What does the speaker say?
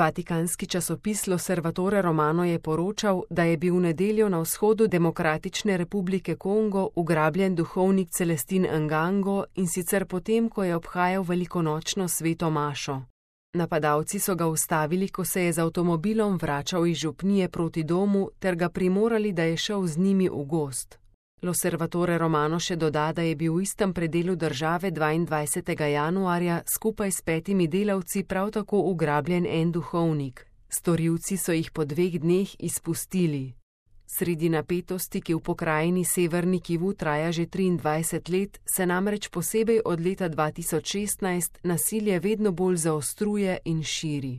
Vatikanski časopis L'Osservatore Romano je poročal, da je bil v nedeljo na vzhodu Demokratične republike Kongo ugrabljen duhovnik Celestin Ngango, in sicer potem, ko je obhajal velikonočno sveto mašo. Napadalci so ga ustavili, ko se je z avtomobilom vračal iz župnije proti domu, ter ga primorali, da je šel z njimi v gozd. L'Osservatore Romano še doda, da je bil v istem predelu države 22. januarja skupaj s 5 delavci prav tako ugrabljen en duhovnik. Storilci so jih po 2 dneh izpustili. Sredi napetosti, ki v pokrajini Severni Kivu traja že 23 let, se namreč posebej od leta 2016 nasilje vedno bolj zaostruje in širi.